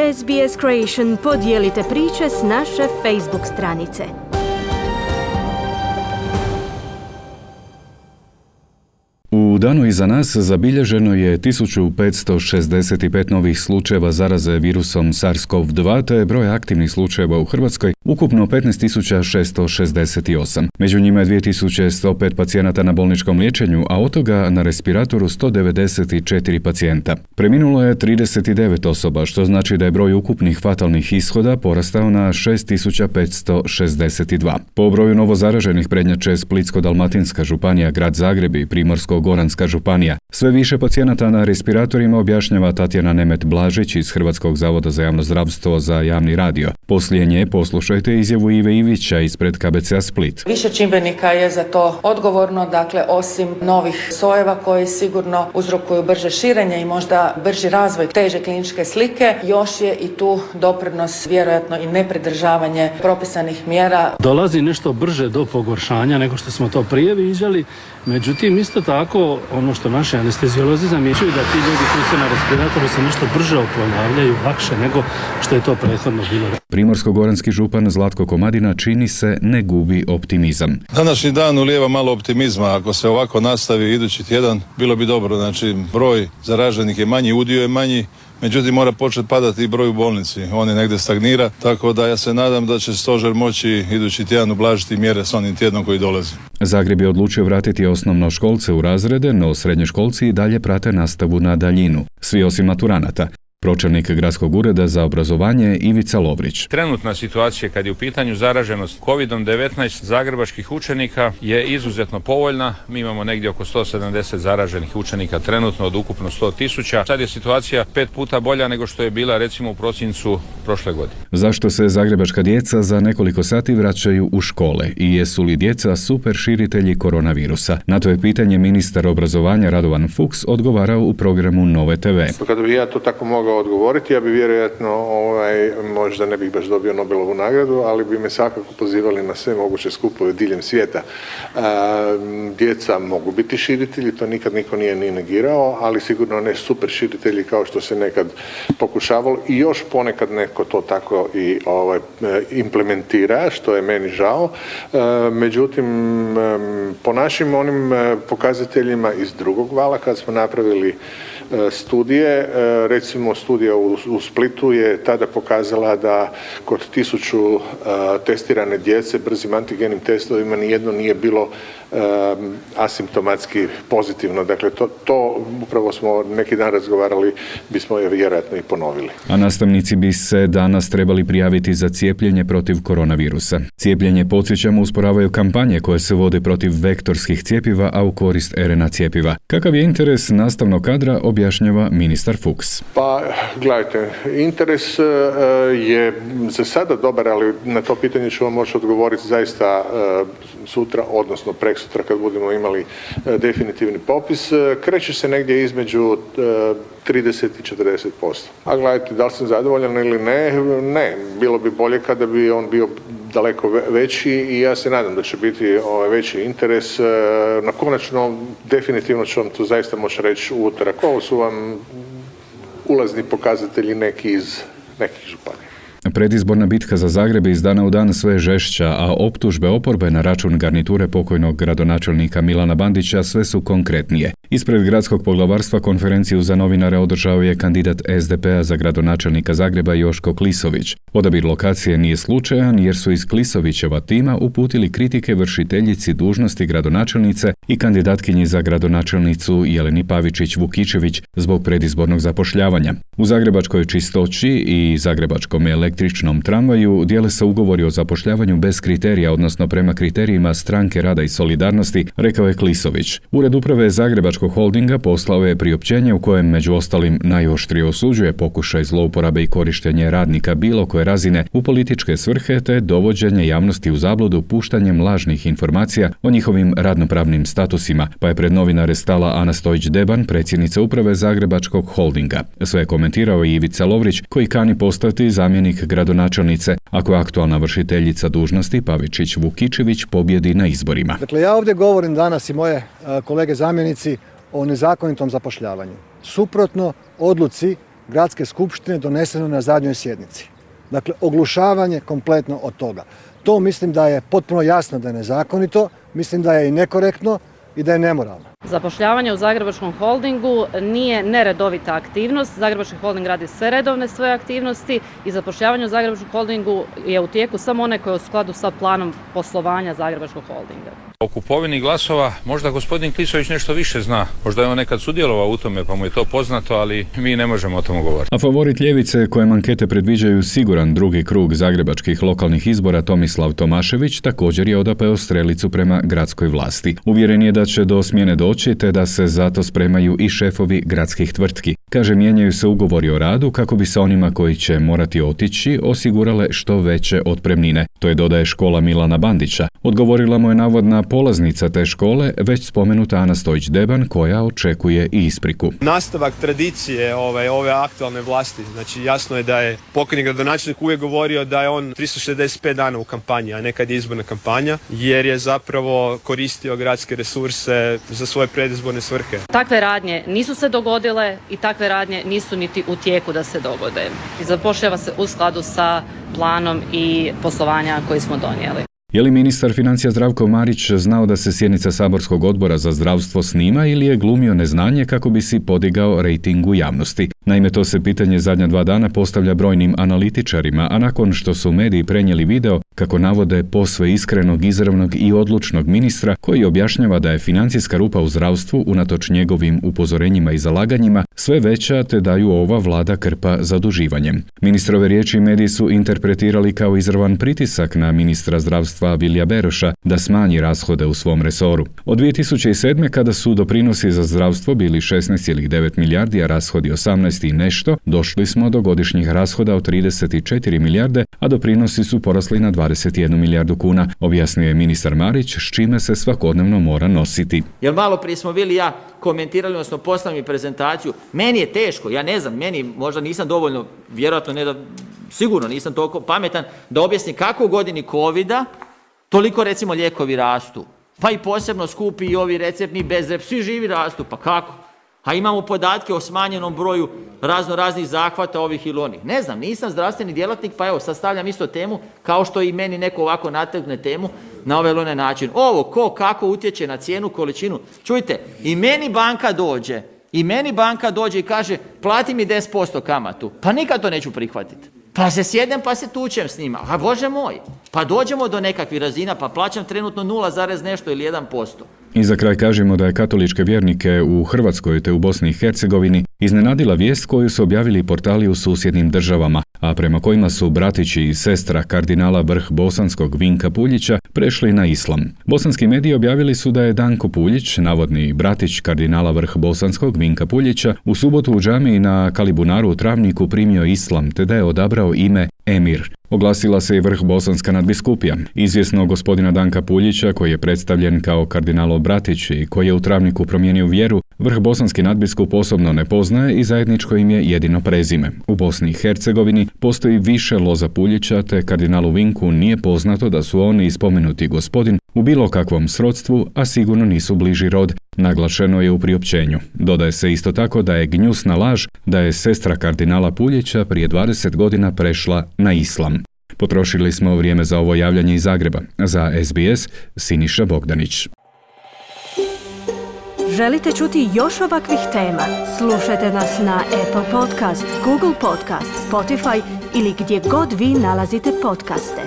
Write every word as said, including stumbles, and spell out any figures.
S B S Creation podijelite priče s naše Facebook stranice. U danu iza nas zabilježeno je tisuću petsto šezdeset pet novih slučajeva zaraze virusom SARS-CoV dva, te broj aktivnih slučajeva u Hrvatskoj ukupno petnaest tisuća šesto šezdeset osam. Među njima je dvije tisuće sto pet pacijenata na bolničkom liječenju, a od toga na respiratoru sto devedeset četiri pacijenta. Preminulo je trideset devet osoba, što znači da je broj ukupnih fatalnih ishoda porastao na šest tisuća petsto šezdeset dva. Po broju novozaraženih prednjače Splitsko-dalmatinska županija, Grad Zagreb i Primorsko-goranska županija. Sve više pacijenata na respiratorima, objašnjava Tatjana Nemet-Blažić iz Hrvatskog zavoda za javno zdravstvo za javni radio. Poslije nje poslušajte izjavu Ive Ivića ispred K B C-a Split. Više čimbenika je za to odgovorno, dakle osim novih sojeva koji sigurno uzrokuju brže širenje i možda brži razvoj teže kliničke slike, još je i tu doprinos vjerojatno i nepridržavanje propisanih mjera. Dolazi nešto brže do pogoršanja nego što smo to prije viđali, međutim isto tako ono što naši anesteziolozi zamjećuju da ti ljudi koji su na respiratoru se nešto brže oporavljaju, lakše nego što je to prethodno bilo. Primorsko-goranski župan Zlatko Komadina čini se ne gubi optimizam. Današnji dan ulijeva malo optimizma. Ako se ovako nastavi idući tjedan, bilo bi dobro. Znači, broj zaraženih je manji, udio je manji, međutim mora početi padati i broj u bolnici. On je negdje stagnira, tako da ja se nadam da će stožer moći idući tjedan ublažiti mjere s onim tjednom koji dolazi. Zagreb je odlučio vratiti osnovnoškolce u razrede, no srednjoškolci i dalje prate nastavu na daljinu. Svi osim maturanata. Pročelnik Gradskog ureda za obrazovanje Ivica Lovrić. Trenutna situacija kad je u pitanju zaraženost kovid devetnaest zagrebačkih učenika je izuzetno povoljna. Mi imamo negdje oko sto sedamdeset zaraženih učenika trenutno od ukupno sto tisuća. Sad je situacija pet puta bolja nego što je bila recimo u prosincu prošle godine. Zašto se zagrebačka djeca za nekoliko sati vraćaju u škole i jesu li djeca super širitelji koronavirusa? Na to je pitanje ministar obrazovanja Radovan Fuchs odgovarao u programu Nove te ve. Kada bi ja to tako mogao odgovoriti, ja bi vjerojatno ovaj, možda ne bih baš dobio Nobelovu nagradu, ali bi me svakako pozivali na sve moguće skupove diljem svijeta. E, djeca mogu biti širitelji, to nikad niko nije ni negirao, ali sigurno ne super širitelji kao što se nekad pokušavalo i još ponekad neko to tako i ovaj, implementira, što je meni žao. E, međutim, po našim onim pokazateljima iz drugog vala, kad smo napravili studije, recimo studija u Splitu je tada pokazala da kod tisuću testirane djece brzim antigenim testovima nijedno nije bilo asimptomatski pozitivno. Dakle, to, to upravo smo neki dan razgovarali, bismo je vjerojatno i ponovili. A nastavnici bi se danas trebali prijaviti za cijepljenje protiv koronavirusa. Cijepljenje, podsjećamo, usporavaju kampanje koje se vode protiv vektorskih cjepiva, a u korist er en a cjepiva. Kakav je interes nastavnog kadra, objašnjava ministar Fuchs. Pa, gledajte, interes je za sada dobar, ali na to pitanje ću vam moći odgovoriti zaista sutra, odnosno preksutra kad budemo imali definitivni popis. Kreće se negdje između trideset i četrdeset posto. A gledajte, da li sam zadovoljan ili ne? Ne. Bilo bi bolje kada bi on bio daleko veći i ja se nadam da će biti ovaj veći interes. Na konačno, definitivno ću vam to zaista moći reći u utorak. Ovo su vam ulazni pokazatelji neki iz nekih županija. Predizborna bitka za Zagreb iz dana u dan sve žešća, a optužbe oporbe na račun garniture pokojnog gradonačelnika Milana Bandića sve su konkretnije. Ispred gradskog poglavarstva konferenciju za novinare održao je kandidat es de pe a za gradonačelnika Zagreba Joško Klisović. Odabir lokacije nije slučajan jer su iz Klisovićeva tima uputili kritike vršiteljici dužnosti gradonačelnice i kandidatkinji za gradonačelnicu Jeleni Pavičić-Vukičević zbog predizbornog zapošljavanja. U zagrebačkoj Čistoći i zagrebačkom električnom tramvaju dijele se ugovori o zapošljavanju bez kriterija, odnosno prema kriterijima Stranke rada i solidarnosti, rekao je Klisović. Ured uprave Zagrebačkog holdinga poslao je priopćenje u kojem među ostalim najoštrije osuđuje pokušaj zlouporabe i korištenje radnika bilo koje razine u političke svrhe te dovođenje javnosti u zabludu puštanjem lažnih informacija o njihovim radnopravnim statusima, pa je pred novinare stala Ana Stojić-Deban, predsjednica uprave Zagrebačkog holdinga. Sve je komentirao i Ivica Lovrić, koji kani postati zamjenik gradonačelnice ako aktualna vršiteljica dužnosti Pavičić-Vukičević pobjedi na izborima. Dakle, ja ovdje govorim danas i moje kolege zamjenici o nezakonitom zapošljavanju. Suprotno odluci gradske skupštine doneseno na zadnjoj sjednici. Dakle, oglušavanje kompletno od toga. To mislim da je potpuno jasno da je nezakonito, mislim da je i nekorektno i da je nemoralno. Zapošljavanje u Zagrebačkom holdingu nije neredovita aktivnost. Zagrebački holding radi sve redovne svoje aktivnosti i zapošljavanje u Zagrebačkom holdingu je u tijeku samo one koje je u skladu sa planom poslovanja Zagrebačkog holdinga. O kupovini glasova možda gospodin Klisović nešto više zna. Možda je on nekad sudjelovao u tome pa mu je to poznato, ali mi ne možemo o tomu govoriti. A favorit ljevice kojem ankete predviđaju siguran drugi krug zagrebačkih lokalnih izbora Tomislav Tomašević također je odapeo strelicu prema gradskoj vlasti. Uvjeren je da će do smjene doći te da se zato spremaju i šefovi gradskih tvrtki. Kaže, mijenjaju se ugovori o radu kako bi se onima koji će morati otići osigurale što veće otpremnine. To je, dodaje, škola Milana Bandića. Odgovorila mu je navodna polaznica te škole, već spomenuta Ana Stojić-Deban, koja očekuje i ispriku. Nastavak tradicije ove, ove aktualne vlasti. Znači, jasno je da je pokojni gradonačelnik uvijek govorio da je on tristo šezdeset pet dana u kampanji, a nekad je izborna kampanja, jer je zapravo koristio gradske resurse za svoje predizborne svrhe. Takve radnje nisu se dogodile i takve radnje nisu niti u tijeku da se dogode. I zapošljava se u skladu sa planom i poslovanja koji smo donijeli. Je li ministar financija Zdravko Marić znao da se sjednica saborskog odbora za zdravstvo snima ili je glumio neznanje kako bi si podigao rejting u javnosti? Naime, to se pitanje zadnja dva dana postavlja brojnim analitičarima, a nakon što su mediji prenijeli video kako navode posve iskrenog, izravnog i odlučnog ministra koji objašnjava da je financijska rupa u zdravstvu unatoč njegovim upozorenjima i zalaganjima sve veća te da ju ova vlada krpa zaduživanjem. Ministrove riječi mediji su interpretirali kao izravan pritisak na ministra zdravstva Vilija Beroša da smanji rashode u svom resoru. Od dvije tisuće sedme kada su doprinosi za zdravstvo bili šesnaest zarez devet milijardi, a rashodi osamnaest i nešto, došli smo do godišnjih rashoda od trideset četiri milijarde, a doprinosi su porasli na dvadeset jednu milijardu kuna, objasnio je ministar Marić, s čime se svakodnevno mora nositi. Jer malo prije smo bili ja komentirali, odnosno poslali mi prezentaciju. Meni je teško, ja ne znam, meni možda nisam dovoljno, vjerojatno ne da, sigurno nisam toliko pametan da objasnim kako u godini covida toliko recimo lijekovi rastu. Pa i posebno skupi i ovi receptni bez rep, svi živi rastu, pa kako? A imamo podatke o smanjenom broju razno raznih zahvata ovih ili onih. Ne znam, nisam zdravstveni djelatnik, pa evo sad stavljam isto temu kao što i meni neko ovako nategne temu na ovaj ili onaj način. Ovo ko kako utječe na cijenu, količinu. Čujte, i meni banka dođe, i meni banka dođe i kaže plati mi deset posto kamatu. Pa nikad to neću prihvatiti. Pa se sjednem pa se tučem s njima. A Bože moj, pa dođemo do nekakvih razina pa plaćam trenutno nula zarez nešto ili jedan posto. I za kraj kažemo da je katoličke vjernike u Hrvatskoj te u Bosni i Hercegovini iznenadila vijest koju su objavili portali u susjednim državama, a prema kojima su bratići i sestra kardinala vrh bosanskog Vinka Puljića prešli na islam. Bosanski mediji objavili su da je Danko Puljić, navodni bratić kardinala vrh bosanskog Vinka Puljića, u subotu u džamiji na Kalibunaru u Travniku primio islam te da je odabrao ime Emir. Oglasila se i vrh bosanska nadbiskupija. Izvjesno gospodina Danka Puljića, koji je predstavljen kao kardinalov bratić i koji je u Travniku promijenio vjeru, vrh bosanski nadbiskup osobno ne poznaje i zajedničko im je jedino prezime. U Bosni i Hercegovini postoji više loza Puljića, te kardinalu Vinku nije poznato da su oni i spomenuti gospodin u bilo kakvom srodstvu, a sigurno nisu bliži rod, naglašeno je u priopćenju. Dodaje se isto tako da je gnjusna laž da je sestra kardinala Puljića prije dvadeset godina prešla na islam. Potrošili smo vrijeme za ovo javljanje iz Zagreba. Za S B S, Siniša Bogdanić. Želite čuti još ovakvih tema? Slušajte nas na Apple Podcast, Google Podcast, Spotify ili gdje god vi nalazite podcaste.